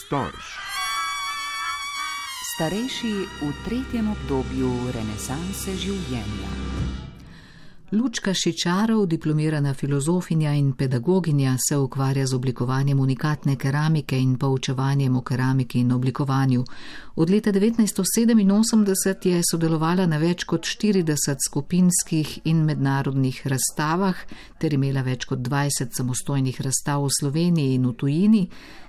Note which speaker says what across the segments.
Speaker 1: Storž.
Speaker 2: Starejši v tretjem obdobju renesanse življenja. Lučka Šičarov, diplomirana filozofinja in pedagoginja, se ukvarja z oblikovanjem unikatne keramike in poučevanjem o keramiki in oblikovanju. Od leta 1987 je sodelovala na več kot 40 skupinskih in mednarodnih razstavah ter imela več kot 20 samostojnih razstav v Sloveniji in v tujini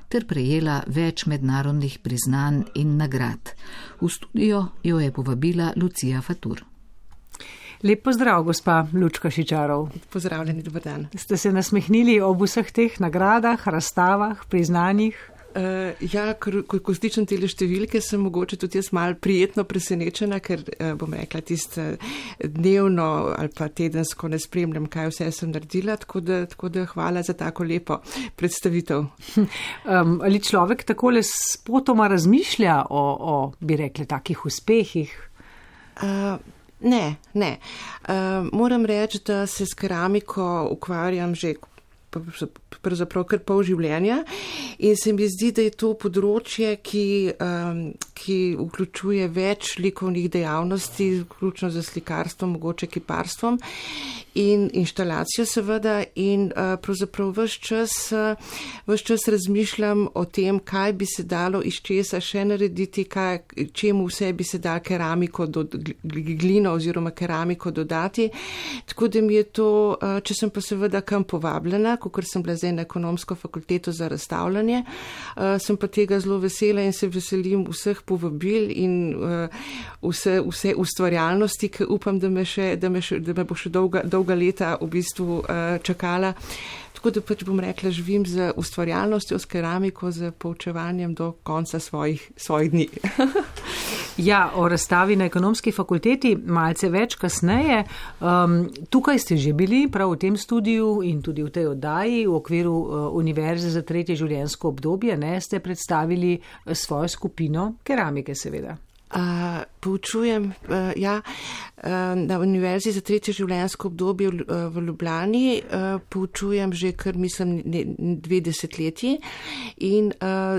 Speaker 2: ter prejela več mednarodnih priznanj in nagrad. V studio jo je povabila Lucija Fatur.
Speaker 3: Lep pozdrav, gospa Lučka Šičarov.
Speaker 4: Pozdravljeni, dober dan.
Speaker 3: Ste se nasmehnili ob vseh teh nagradah, razstavah, priznanjih?
Speaker 4: Ko slišim te številke, sem mogoče tudi jaz malo prijetno presenečena, ker bom rekla tisto dnevno ali pa tedensko ne spremljam, kaj vse sem naredila, tako da hvala za tako lepo predstavitev.
Speaker 3: Ali človek takole spotoma razmišlja o bi rekli, takih uspehih?
Speaker 4: Ne. Moram reči, da se s keramiko ukvarjam že pravzaprav kar pol življenja in se mi zdi, da je to področje, ki vključuje več likovnih dejavnosti, vključno z slikarstvom, mogoče kiparstvom in inštalacijo seveda in pravzaprav ves čas razmišljam o tem, kaj bi se dalo iz česa še narediti, čemu vse bi se dalo keramiko, glino oziroma keramiko dodati, tako da mi je to, če sem pa seveda kam povabljena, kakor sem bila zdaj na ekonomsko fakulteto za razstavljanje, sem pa tega zelo vesela in se veselim vseh povabil in vse ustvarjalnosti, ki upam, da me bo še dolga leta v bistvu čakala. Tako da pač bom rekla, živim z ustvarjalnostjo, s keramiko, z poučevanjem do konca svojih dni.
Speaker 3: Ja, o razstavi na ekonomski fakulteti malce več kasneje. Tukaj ste že bili, prav v tem studiu in tudi v tej oddaji v okviru Univerze za tretje življenjsko obdobje, ste predstavili svojo skupino keramike seveda.
Speaker 4: Poučujem, na Univerzi za tretje življenjsko obdobje v Ljubljani, poučujem že kar mislim 2 desetletji in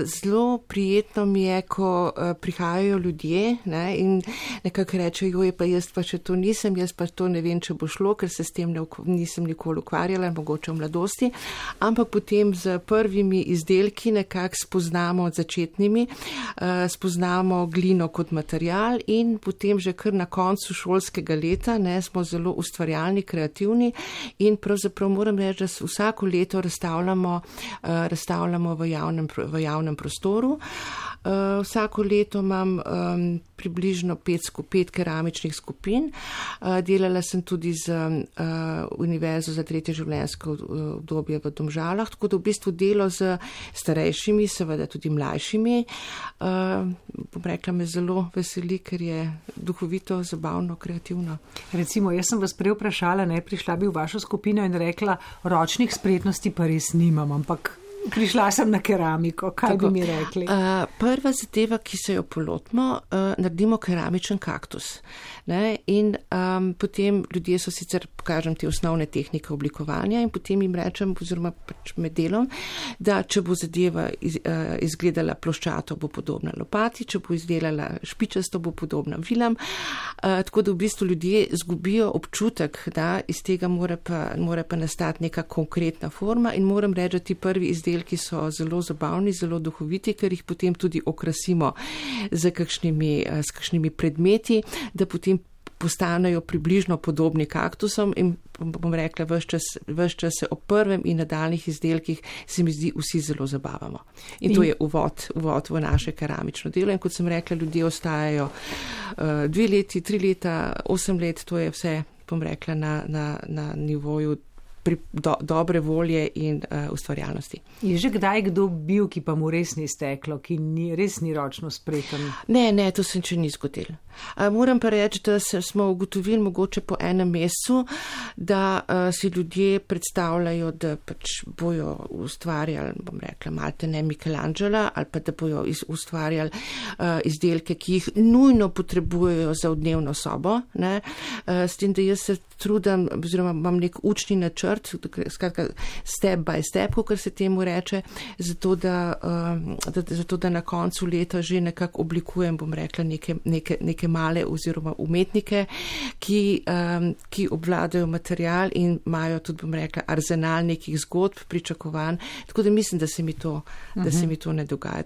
Speaker 4: zelo prijetno mi je, ko prihajajo ljudje in nekako rečejo, pa jaz pa še to nisem, jaz pa to ne vem, če bo šlo, ker se s tem nisem nikoli ukvarjala, mogoče v mladosti, ampak potem z prvimi izdelki nekako spoznamo začetnimi, spoznamo glino kot material in potem že kar na koncu šolskega leta smo zelo ustvarjalni, kreativni in pravzaprav moram reči, da vsako leto razstavljamo v javnem prostoru. Vsako leto imam približno 5 keramičnih skupin. Delala sem tudi z Univerzo za tretje življenjsko obdobje v Domžalah, tako da v bistvu delo z starejšimi, seveda tudi mlajšimi. Bom rekla, me zelo veseli, ker je duhovito, zabavno, kreativno.
Speaker 3: Recimo, jaz sem vas prej vprašala, prišla bi v vašo skupino in rekla, ročnih spretnosti pa res nimam, ampak prišla sem na keramiko. Kaj bi mi rekli?
Speaker 4: Prva zadeva, ki se jo polotimo, naredimo keramičen kaktus. In potem ljudje so sicer, pokažem te osnovne tehnike oblikovanja in potem jim rečem, oziroma pač med delom, da če bo zadeva izgledala ploščato, bo podobna lopati, če bo izdelala špičasto, bo podobna vilam. Tako da v bistvu ljudje zgubijo občutek, da iz tega mora pa nastati neka konkretna forma in moram reči, da ti prvi izdelki so zelo zabavni, zelo duhoviti, ker jih potem tudi okrasimo s kakšnimi predmeti, da potem postanejo približno podobni kaktusom in bom rekla, ves čas se o prvem in nadaljnih izdelkih se mi zdi vsi zelo zabavamo. In to je uvod v naše keramično delo in kot sem rekla, ljudje ostajajo 2 leti, 3 leta, 8 let, to je vse, bom rekla, na nivoju dobre volje in ustvarjalnosti.
Speaker 3: Je že kdaj kdo bil, ki pa mu res ni steklo, ki res ni ročno spreten?
Speaker 4: Ne, to se še ni zgodilo. Moram pa reči, da smo ugotovili mogoče po enem mesecu, da si ljudje predstavljajo, da pač bojo ustvarjali, bom rekla, malte ne Michelangela, ali pa da bojo ustvarjali izdelke, ki jih nujno potrebujejo za dnevno sobo. S tem, da jaz se trudim, oziroma imam nek učni načrt, načrt, skratka step by step, kot se temu reče, zato da na koncu leta že nekako oblikujem, bom rekla, neke male oziroma umetnike, ki obvladajo material in imajo tudi, bom rekla, arzenal nekih zgodb, pričakovanj, tako da mislim, da se mi to ne dogaja.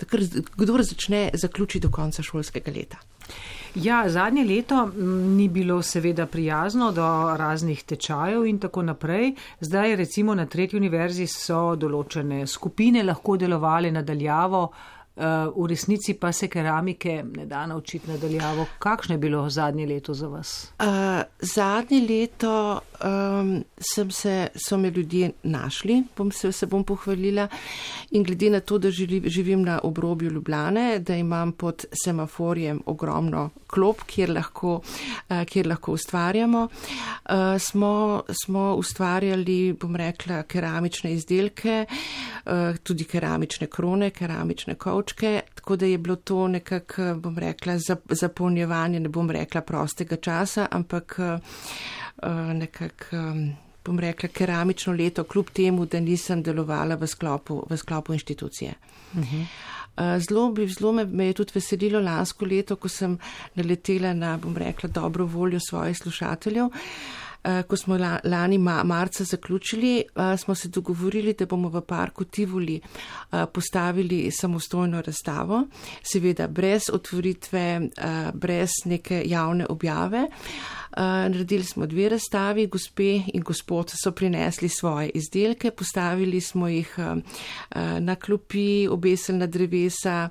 Speaker 4: Kdor začne, zaključi do konca šolskega leta.
Speaker 3: Ja, zadnje leto ni bilo seveda prijazno do raznih tečajev in tako naprej. Zdaj recimo na Tretji univerzi so določene skupine lahko delovali nadaljavo, v resnici pa se keramike ne da naučiti nadaljavo. Kakšno je bilo zadnje leto za vas?
Speaker 4: Zadnje leto so me ljudje našli, se bom pohvalila, in glede na to, da živim na obrobju Ljubljane, da imam pod semaforjem ogromno klop, kjer lahko ustvarjamo, smo ustvarjali, bom rekla, keramične izdelke, tudi keramične krone, keramične kovčke, tako da je bilo to nekako, bom rekla, zapolnjevanje, ne bom rekla prostega časa, ampak nekako, bom rekla, keramično leto, kljub temu, da nisem delovala v sklopu inštitucije. Zelo me je tudi veselilo lansko leto, ko sem naletela na, bom rekla, dobro voljo svojih slušateljev. Ko smo lani marca zaključili, smo se dogovorili, da bomo v parku Tivoli postavili samostojno razstavo, seveda brez otvoritve, brez neke javne objave. Naredili smo 2 razstavi, gospe in gospod so prinesli svoje izdelke, postavili smo jih na klopi, obesili na drevesa,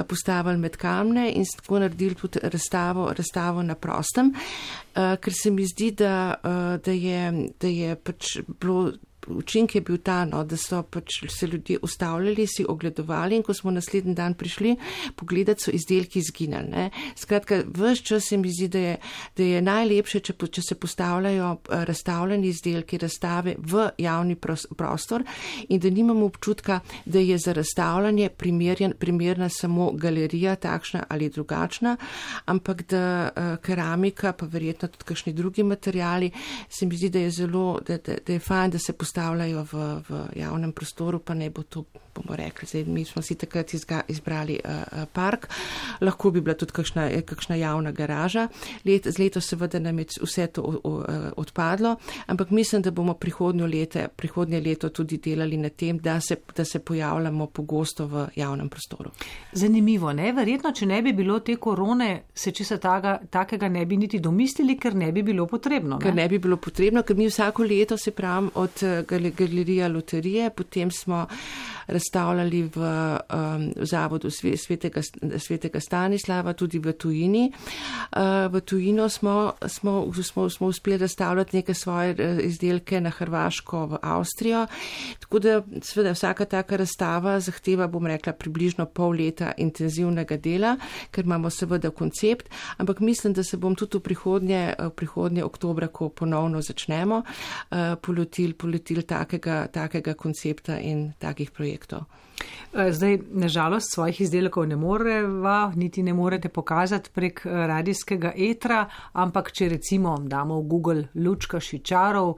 Speaker 4: postavili med kamne in tako naredili tudi razstavo na prostem, ker se mi zdi, da je pač bilo. Učinek je bil ta, da so pač se ljudje ustavljali, si ogledovali in ko smo naslednji dan prišli pogledati, so izdelki izginali. Ne. Skratka, ves čas se mi zdi, da je najlepše, če se postavljajo razstavljeni izdelki, razstave v javni prostor in da nimamo občutka, da je za razstavljanje primerna samo galerija, takšna ali drugačna, ampak da keramika, pa verjetno tudi kakšni drugi materiali, se mi zdi, da je zelo, da je fajn, da se postavljajo v javnem prostoru, pa ne bo to, bomo rekli, zdaj mi smo si takrat izbrali park, lahko bi bila tudi kakšna javna garaža. Z leto seveda nam je vse to odpadlo, ampak mislim, da bomo prihodnje leto tudi delali na tem, da se pojavljamo pogosto v javnem prostoru.
Speaker 3: Zanimivo, ne? Verjetno, če ne bi bilo te korone, se česa takega ne bi niti domislili, ker ne bi bilo potrebno. Ne?
Speaker 4: Ker ne bi bilo potrebno, ker mi vsako leto, se pravim, od galerija Loterije, potem smo razstavljali v zavodu Svetega Stanislava, tudi v tujini. V tujino smo uspeli razstavljati neke svoje izdelke na Hrvaško, v Avstrijo, tako da seveda vsaka taka razstava zahteva, bom rekla, približno pol leta intenzivnega dela, ker imamo seveda koncept, ampak mislim, da se bom tudi v prihodnje oktobra, ko ponovno začnemo, poletil takega koncepta in takih projektov.
Speaker 3: Zdaj, nažalost, svojih izdelkov ne moreva, niti ne morete pokazati prek radijskega etra, ampak če recimo damo v Google Lučka Šičarov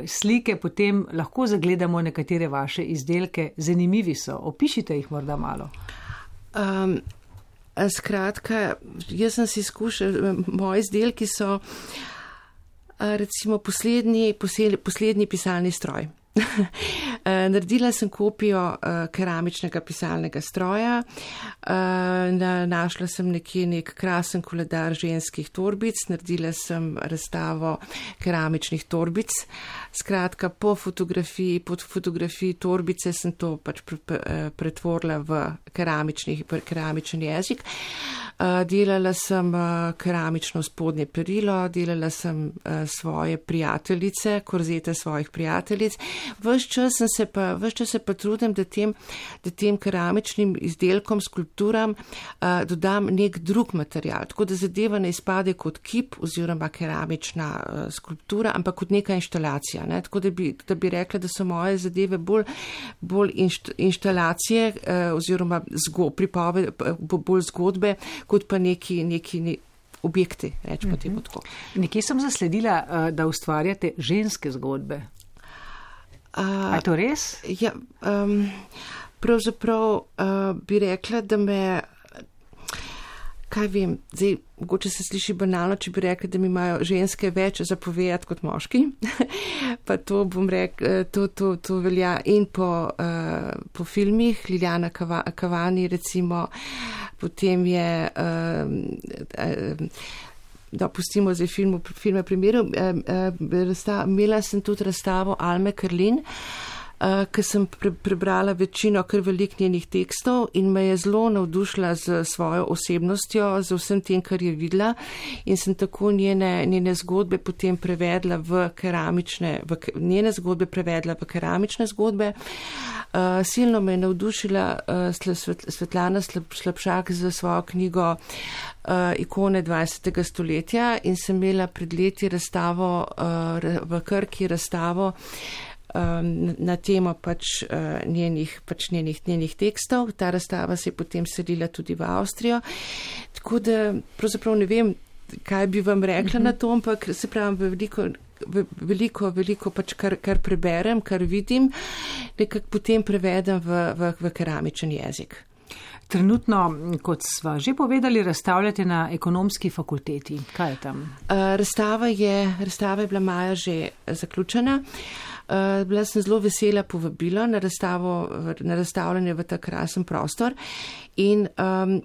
Speaker 3: slike, potem lahko zagledamo nekatere vaše izdelke. Zanimivi so. Opišite jih morda malo.
Speaker 4: Skratka, jaz sem si izkušal, moji izdelki so recimo poslednji pisalni stroj. Naredila sem kopijo keramičnega pisalnega stroja, našla sem nek krasen koledar ženskih torbic, naredila sem razstavo keramičnih torbic. Skratka, pod fotografiji torbice sem to pač pretvorila v keramični jezik. Delala sem keramično spodnje perilo, delala sem svoje prijateljice, korzete svojih prijateljic. Ves čas se pa trudim, da tem keramičnim izdelkom, skulpturam dodam nek drug material, tako da zadeva ne izpade kot kip oziroma keramična skulptura, ampak kot neka inštalacija. Ne? Tako da bi rekla, da so moje zadeve bolj inštalacije oziroma bolj zgodbe, kot pa neki objekti, rečemo temu tako.
Speaker 3: Nekje sem zasledila, da ustvarjate ženske zgodbe. Je to res?
Speaker 4: Ja, pravzaprav bi rekla, da me, kaj vem, zdaj, mogoče se sliši banalno, če bi rekla, da mi imajo ženske več zapovedati kot moški, pa to bom rekla, to velja in po filmih, Liljana Cavani recimo, potem je, da pustimo zdaj filme primerov, imela sem tudi razstavo Alme Karlin, ker sem prebrala večino kar velik njenih tekstov in me je zelo navdušila z svojo osebnostjo, z vsem tem, kar je videla in sem tako njene zgodbe potem prevedla v keramične zgodbe. Silno me je navdušila Svetlana Slapšak za svojo knjigo Ikone 20. stoletja in sem imela pred leti razstavo v Krki razstavo na temo njenih tekstov. Ta razstava se je potem selila tudi v Avstrijo. Tako da pravzaprav ne vem, kaj bi vam rekla na to, ampak se pravim, veliko pač kar preberem, kar vidim, nekako potem prevedem v keramičen jezik.
Speaker 3: Trenutno, kot sva že povedali, razstavljate na Ekonomski fakulteti. Kaj je tam?
Speaker 4: Razstava je bila maja že zaključena. Bila sem zelo vesela povabila na razstavljanje v ta krasen prostor in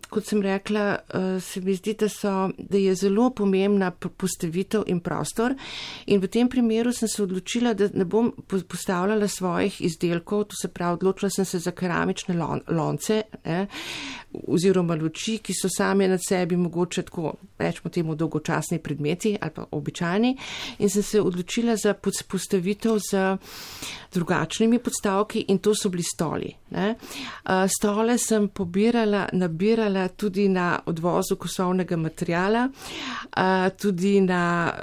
Speaker 4: kot sem rekla, se mi zdi, da je zelo pomembna postavitev in prostor in v tem primeru sem se odločila, da ne bom postavljala svojih izdelkov, to se pravi, odločila sem se za keramične lonce, oziroma luči, ki so same nad sebi mogoče tako, rečemo temu, dolgočasni predmeti ali pa običajni in sem se odločila za postavitev z drugačnimi podstavki in to so bili stoli. Stole sem nabirala tudi na odvozu kosovnega materijala, tudi na,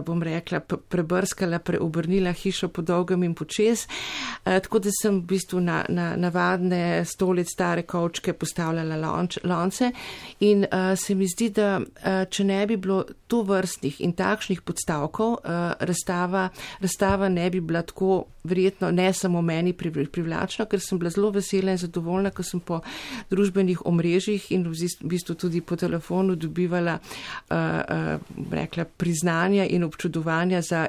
Speaker 4: bom rekla, prebrskala, preobrnila hišo po dolgem in počez, tako da sem v bistvu na navadne stolice, stare kovčke postavljala lonce in se mi zdi, da če ne bi bilo to vrstnih in takšnih podstavkov, razstava ne bi bila tako verjetno ne samo meni privlačna, ker sem bila zelo vesela in zadovoljna, ko sem po družbenih omrežjih in v bistvu tudi po telefonu dobivala rekla, priznanja in občudovanja za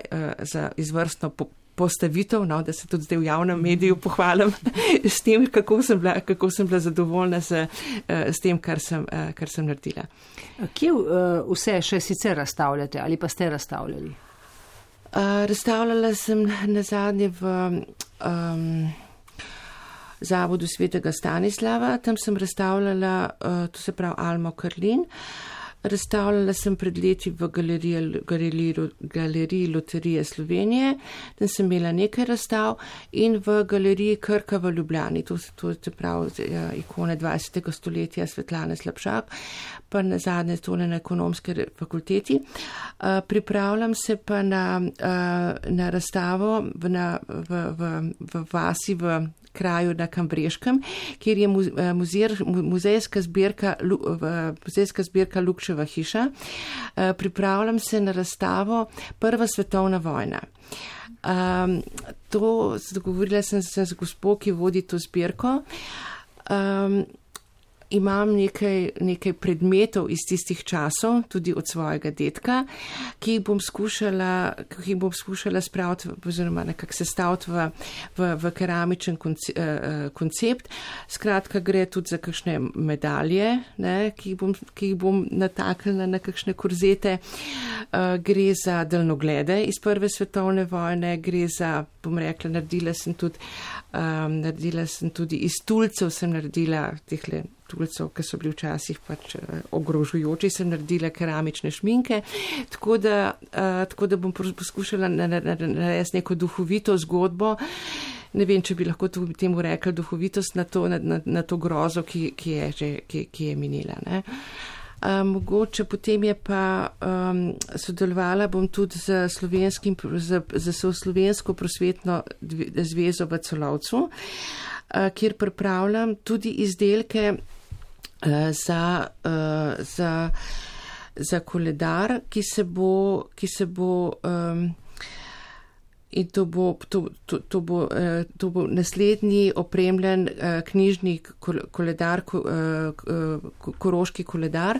Speaker 4: izvrstno postavitev, no, da se tudi zdaj v javnem mediju pohvalim s tem, kako sem bila zadovoljna s tem, kar sem naredila.
Speaker 3: Kje vse še sicer razstavljate ali pa ste razstavljali?
Speaker 4: Razstavljala sem nazadnje v Zavodu svetega Stanislava, tam sem razstavljala, to se pravi Almo Karlin. Razstavljala sem pred leti v galeriji Loterije Slovenije, tam sem imela nekaj razstav in v galeriji Krka v Ljubljani, to se pravi ikone 20. stoletja Svetlane Slapšak, pa nazadnje tole na Ekonomski fakulteti. Pripravljam se pa na razstavo v vasi v kraju na Kambreškem, kjer je muzejska zbirka Lukčeva hiša. Pripravljam se na razstavo Prva svetovna vojna. Dogovorila sem se z gospo, ki vodi to zbirko. Imam nekaj predmetov iz tistih časov, tudi od svojega dedka, ki jih bom skušala spraviti oziroma nekako sestaviti v keramičen koncept. Skratka, gre tudi za kakšne medalje, ki jih bom nataknila na kakšne korzete. Gre za daljnoglede iz Prve svetovne vojne, gre za, bom rekla, naredila sem tudi iz tulcev, sem naredila tehle tulcev, ki so bili včasih pač ogrožujoči, sem naredila keramične šminke, tako da bom poskušala narediti neko duhovito zgodbo. Ne vem, če bi lahko temu rekla duhovitost na to grozo, ki je minila. Ne? Mogoče potem je pa sodelovala bom tudi z Slovensko prosvetno zvezo v Celovcu, kjer pripravljam tudi izdelke za koledar, ki se bo In to bo naslednji opremljen knjižni koledar, koroški koledar.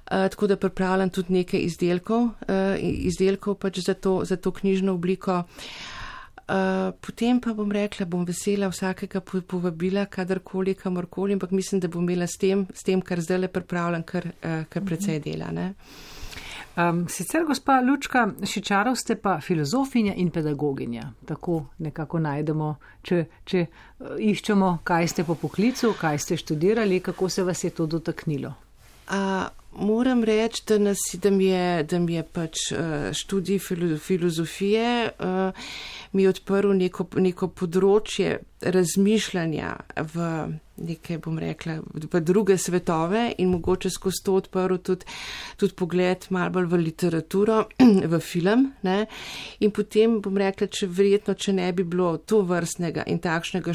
Speaker 4: Tako da pripravljam tudi nekaj izdelkov pač za to knjižno obliko. Potem pa bom rekla, bom vesela vsakega povabila, kadarkoli, kamorkoli, ampak mislim, da bom imela s tem, kar zdaj le pripravljam, kar precej dela. Ne?
Speaker 3: Sicer, gospa Lučka Šičarov, ste pa filozofinja in pedagoginja. Tako nekako najdemo, če iščemo, kaj ste po poklicu, kaj ste študirali, kako se vas je to dotaknilo.
Speaker 4: Moram reči, da mi je pač študij filozofije mi je odprl neko področje razmišljanja v neke, bom rekla, v druge svetove in mogoče skozi to odprl tudi pogled malo bolj v literaturo, v film. Ne? In potem, bom rekla, če ne bi bilo to vrstnega in takšnega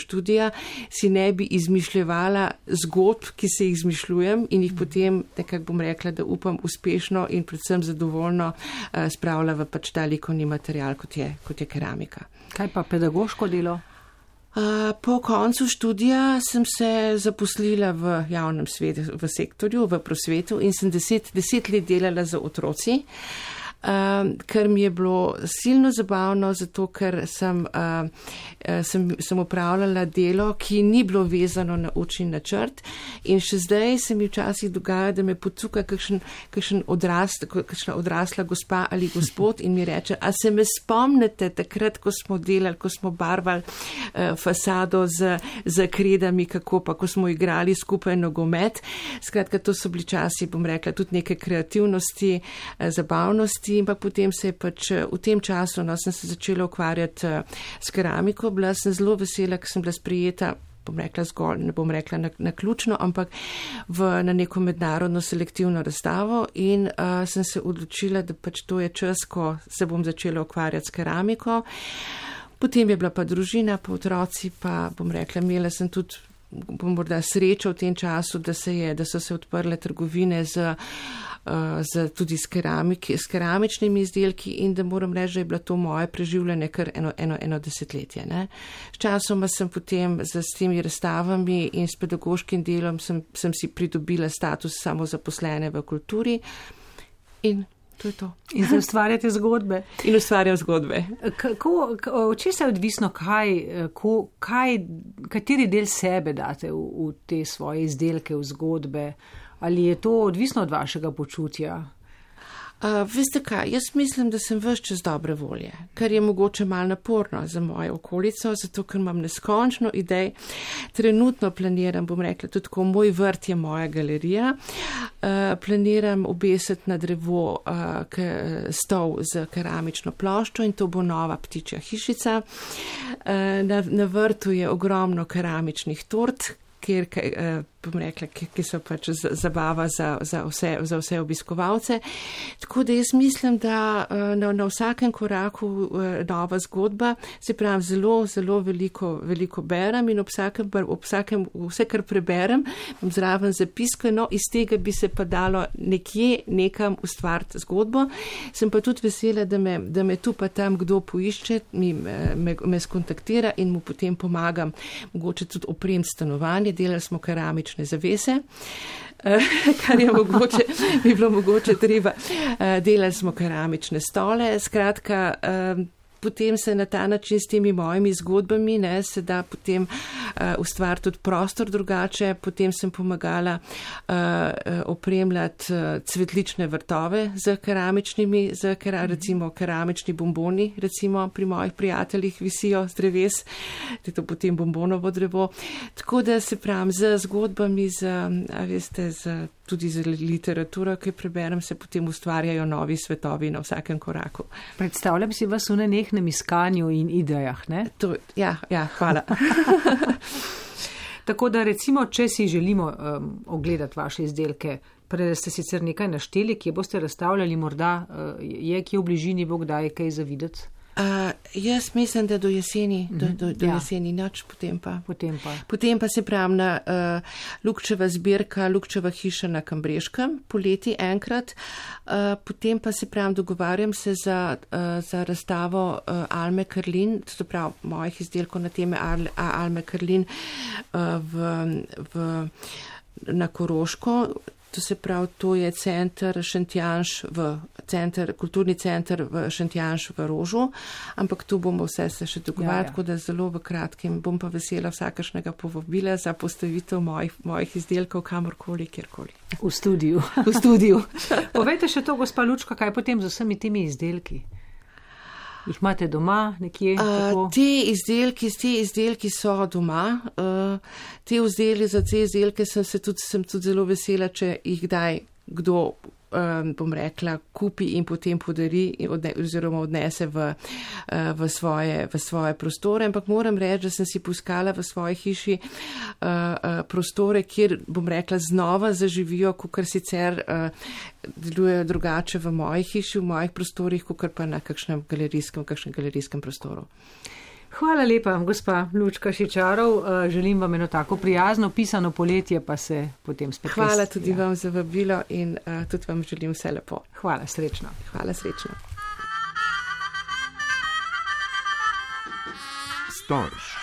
Speaker 4: študija, si ne bi izmišljevala zgodb, ki se jih izmišljujem in jih potem, nekako bom rekla, da upam uspešno in predvsem zadovoljno spravila v pač ta likovni material, kot je keramika.
Speaker 3: Kaj pa pedagoško delo?
Speaker 4: Po koncu študija sem se zaposlila v javnem v sektorju, v prosvetu in sem 10 let delala za otroci, kar mi je bilo silno zabavno, zato ker sem opravljala delo, ki ni bilo vezano na učni načrt in še zdaj se mi včasih dogaja, da me pocuka kakšna odrasla gospa ali gospod in mi reče, a se me spomnite takrat, ko smo delali, ko smo barvali fasado z kredami, kako pa, ko smo igrali skupaj nogomet. Skratka, to so bili časi, bom rekla, tudi neke kreativnosti, zabavnosti. Ampak potem se je pač v tem času, sem se začela ukvarjati s keramiko, bila sem zelo vesela, ker sem bila sprejeta, bom rekla zgolj, ne bom rekla naključno, ampak na neko mednarodno selektivno razstavo in sem se odločila, da pač to je čas, ko se bom začela ukvarjati s keramiko. Potem je bila pa družina, pa otroci, pa bom rekla, imela sem tudi morda srečo v tem času, da so se odprle trgovine tudi s keramičnimi izdelki in da moram reči, da je bilo to moje preživljanje kar eno desetletje. Ne? S časoma sem potem s temi razstavami in s pedagoškim delom sem si pridobila status samozaposlene v kulturi in to je to.
Speaker 3: In se ustvarjate zgodbe.
Speaker 4: In ustvarjam zgodbe.
Speaker 3: Če se je odvisno, kateri del sebe date v te svoje izdelke, v zgodbe, ali je to odvisno od vašega počutja?
Speaker 4: Veste kaj, jaz mislim, da sem ves čas dobre volje, kar je mogoče malo naporno za mojo okolico, zato ker imam neskončno idej. Trenutno planiram, bom rekla, tudi ko moj vrt je moja galerija, planiram obesiti na drevo stol z keramično ploščo in to bo nova ptičja hišica. Na vrtu je ogromno keramičnih tort, bom rekla, ki so pač zabava za vse obiskovalce. Tako da jaz mislim, da na vsakem koraku nova zgodba, se pravi, zelo, zelo veliko berem in ob vsakem, vse, kar preberem, bom zraven zapisko, no, iz tega bi se pa dalo nekam ustvariti zgodbo. Sem pa tudi vesela, da me tu pa tam kdo poišče, me skontaktira in mu potem pomagam, mogoče tudi opremiti stanovanje. Delali smo keramične zavese, kar je mogoče, bi bilo mogoče treba. Delali smo keramične stole, skratka, potem se na ta način s temi mojimi zgodbami se da potem ustvariti tudi prostor drugače. Potem sem pomagala opremljati cvetlične vrtove z keramičnimi, recimo keramični bomboni, recimo pri mojih prijateljih visijo z dreves, to je potem bombonovo drevo. Tako da se pravim, z zgodbami, tudi z literaturo, ki preberem, se potem ustvarjajo novi svetovi na vsakem koraku.
Speaker 3: Predstavljam si vas v nenehnem iskanju in idejah, ne?
Speaker 4: Ja, hvala.
Speaker 3: Tako da recimo, če si želimo ogledati vaše izdelke, prej ste sicer nekaj našteli, kje boste razstavljali, morda je kje v bližini bo kdaj kaj za videti?
Speaker 4: Jaz mislim, da do jeseni, do jeseni noč, potem pa. Potem pa se pravim na Lukčeva zbirka, Lukčeva hiša na Kambreškem, poleti enkrat. Potem pa se pravim, dogovarjam se za razstavo Alme Karlin, to prav mojih izdelkov na teme Alme Karlin na Koroško. To se pravi, to je center Šentjanž kulturni center v Šentjanž v Rožu, ampak tu bomo vse se še dogovarjati, tako da zelo v kratkem bom pa vesela vsakašnega povabila za postavitev mojih izdelkov kamorkoli, kjerkoli.
Speaker 3: V studiu. Povejte še to, gospa Lučka, kaj potem z vsemi temi izdelki? Jih imate doma nekje?
Speaker 4: Te izdelki so doma. Te izdelke sem tudi zelo vesela, če jih kdaj kdo, bom rekla, kupi in potem podari oziroma odnese v svoje prostore. Ampak moram reči, da sem si poiskala v svoji hiši prostore, kjer, bom rekla, znova zaživijo, kakor sicer delujejo drugače v moji hiši, v mojih prostorih, kakor pa na kakšnem galerijskem prostoru.
Speaker 3: Hvala lepa, gospa Lučka Šičarov. Želim vam eno tako prijazno, pisano poletje, pa se potem spet.
Speaker 4: Hvala tudi vam za vabilo in tudi vam želim vse lepo.
Speaker 3: Hvala, srečno.
Speaker 4: Hvala, srečno.
Speaker 1: Storž.